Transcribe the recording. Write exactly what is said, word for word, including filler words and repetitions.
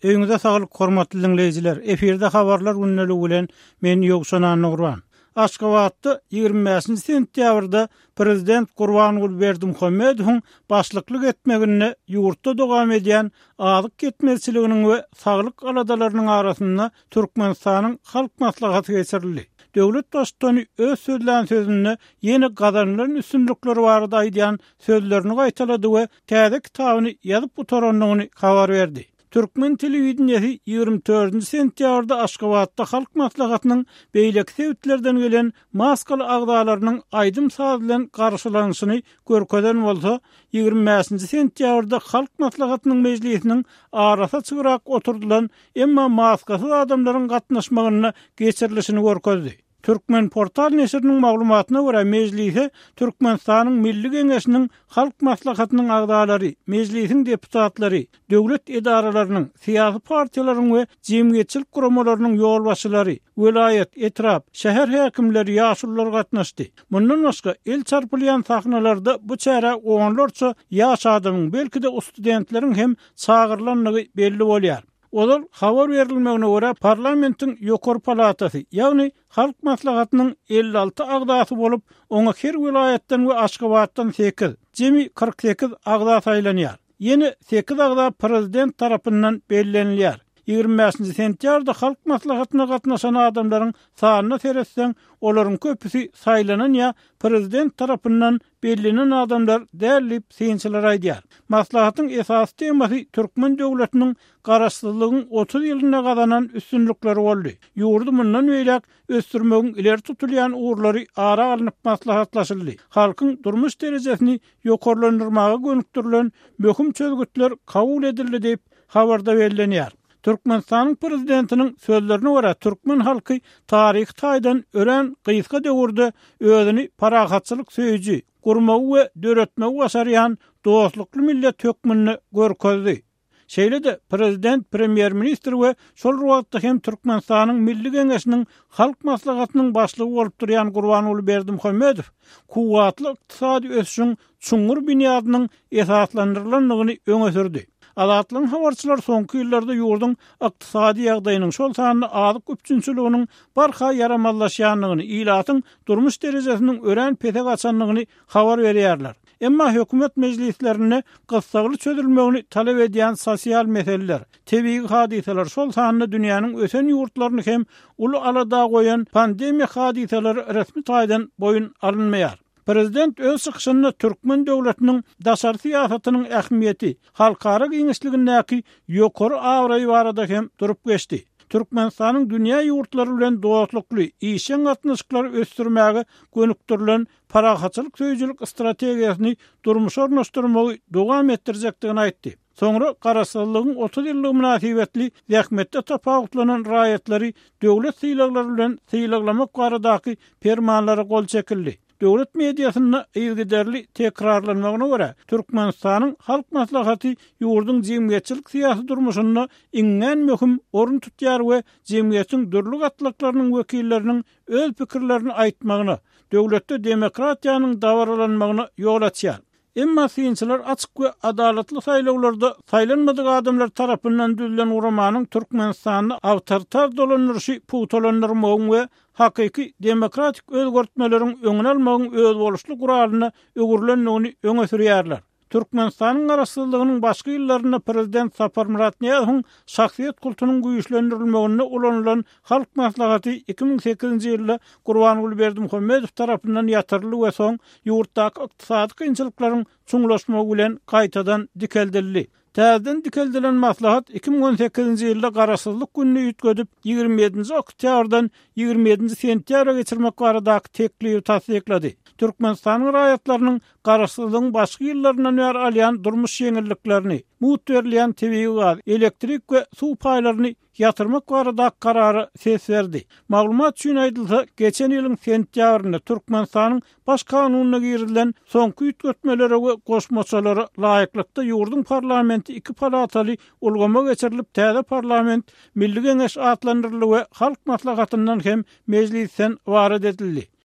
Öýüňize saglyk hormatly diňleýjiler. Efirde habarlar gündeligi bilen men Ýowşan Annagurban. Aşgabatda ýigrimi bäşinji sentýabrda Prezident Gurbanguly Berdimuhamedowyň başlyklyk etmeginde ýurtda dowam edýän azyk ýetmezçiliginiň we saglyk aladalarynyň arasynda Türkmenistanyň Halk Maslahaty geçirildi. Döwlet baştutany öz sözlän sözünde ýene gazanylan üstünlikler barada aýdýan sözlerini gaýtalady we täze kitabyny ýazyp gutarandygyny habar berdi. Türkmen telewideniýesi ýigrimi dördünji sentýabrda Aşgabatda Halk Maslahatynyň beýleki sebitlerden gelen maskaly agzalarynyň aýdym-saz bilen garşylanyşyny görkezen bolsa, ýigrimi bäşinji sentýabrda Halk Maslahatynyň mejlisiniň arasy açygrak oturdylan, emma maskasyz adamlaryň gatnaşmagynda geçirilişini görkezdi. Türkmen portal neşiriniň maglumatyna görä, mejlise Türkmenistanyň Milli Geňeşiniň Halk Maslahatynyň agzalary, mejlisiň deputatlary, döwlet edaralarynyň, syýasy partiýalaryň we jemgyýetçilik guramalarynyň ýolbaşçylary, welaýat, etrap, şäher häkimleri, ýaşulular gatnaşdy. Mundan başga, el çarpylýan sahnalarda bu çärä onlarça ýaş adamyň, belki-de studentleriň hem çagyrylandygy belli bolýar. Ozal habar berilmegine görä, parlamentiň ýokary palatasy, ýagny Halk Maslahatynyň elli alty agzasy bolup, oňa her welaýatdan we Aşgabatdan sekiz, jemi kyrk sekiz agza saýlanýar. Ýene sekiz agza prezident tarapyndan bellenilýär. Ýigrimi bäşinji sentýabrda Halk Maslahatyna gatnaşan adamlaryň sanyna seretseň, olaryň köpüsi saýlanan ýa prezident tarapyndan bellenen adamlar däl diýip, synçylar aýdýar. Maslahatyň esasy temasy türkmen döwletiniň Garaşsyzlygyň otuz ýylynda gazanan üstünlikleri boldy. Ýurdy mundan beýläk ösdürmegiň ileri tutulýan ugurlary ara alnyp maslahatlaşyldy. Halkyň durmuş derejesini ýokarlandyrmaga gönükdirilen möhüm çözgütler kabul edildi diýip, habarda bellenýär. Türkmenistanyň Prezidentiniň sözlerine görä, türkmen halky taryhy taýdan örän gysga döwürde özüni parahatçylyk söýüji, gurmagy we döretmegi başarýan dostlukly millet hökmünde görkezdi. Şeýle-de Prezident, Premýer-ministr we şol bir wagtda hem Türkmenistanyň Milli Geňeşiniň Halk Maslahatynyň Başlygy bolup durýan Gurbanguly Berdimuhamedow kuwwatly ykdysady ösüşiň çuňňur binýadynyň esaslandyrylandygyny öňe sürdi. Azatlygyň habarçylary soňky ýyllarda ýurduň ykdysady ýagdaýynyň, şol sanda azyk üpjünçiliginiň barha ýaramazlaşýandygyny, ilatyň durmuş derejesiniň örän pese gaçandygyny habar berýärler. Emma hökümet mejlislerinde gyssagly çözülmegini talap edýän sosial meseleler, tebigy hadysalar, şol sanda dünýäniň ösen ýurtlaryny hem uly alada goýan pandemiýa hadysalary resmi taýdan boýun alynmaýar. Prezident öz çykyşynda türkmen döwletiniň daşary syýasatynyň ähmiýeti, halkara giňişligindäki ýokary abraýy barada hem durup geçdi. Türkmenistanyň dünýä ýurtlary bilen dostlukly, işjeň gatnaşyklary ösdürmäge gönükdirilen parahatçylyk söýüjilik strategiýasyny durmuşa ornaşdyrmagy dowam etdirjekdigini aýtdy. Soňra Garaşsyzlygyň otuz ýyllygy mynasybetli zähmetde tapawutlanan raýatlary döwlet sylaglary bilen sylaglamak baradaky permanlara gol çekildi. Döwlet mediasynda yzygiderli tekrarlanmagyna görä, Türkmenistanyň Halk Maslahaty ýurduň jemgyýetçilik-syýasy durmuşynda iňňän möhüm orun tutýar we jemgyýetiň dürli gatlaklarynyň wekilleriniň öz pikirlerini aýtmagyna, döwletde demokratiýanyň dabaralanmagyna ýol açýar. Emma synçylar açyk we adalatly saýlawlarda saýlanmadyk adamlar tarapyndan düzülen guramanyň Türkmenistanda awtoritar dolandyryşy pugtalandyrmagyň we hakyky demokratik özgertmeleriň öňüni almagyň özboluşly guralyna öwrülendigini öňe sürýärler. Türkmenistanyň Garaşsyzlygynyň başky ýyllarynda prezident Saparmyrat Nyýazowyň şahsyýet kultunyň güýçlendirilmeginde ulanylan Halk Maslahaty iki müň sekizinji ýylda Gurbanguly Berdimuhamedow tarapyndan ýatyryldy we soň ýurtdaky ykdysady kynçylyklaryň çuňlaşmagy bilen gaýtadan dikeldildi. Täzeden dikeldilen maslahat iki müň on sekizinji ýylda Garaşsyzlyk gününi üýtgedip, ýigrimi ýedinji oktýabrdan ýigrimi ýedinji sentýabra geçirmek baradaky teklibi tassyklady. Türkmenistanyň raýatlarynyň Garaşsyzlygyň başky ýyllaryndan bäri alýan durmuş ýeňilliklerini, mugt berilýän tebigy gaz, elektrik we suw paýlaryny ýatyrmak baradaky karara ses berdi. Maglumat üçin aýdylsa, geçen ýylyň sentýabrynda Türkmenistanyň Baş kanunyna girizilen soňky üýtgetmelere we goşmaçalara laýyklykda ýurduň parlamenti iki palataly ulgama geçirilip, täze parlament Milli Geňeş atlandyryldy we Halk Maslahatyndan hem Mejlisden ybarat edildi.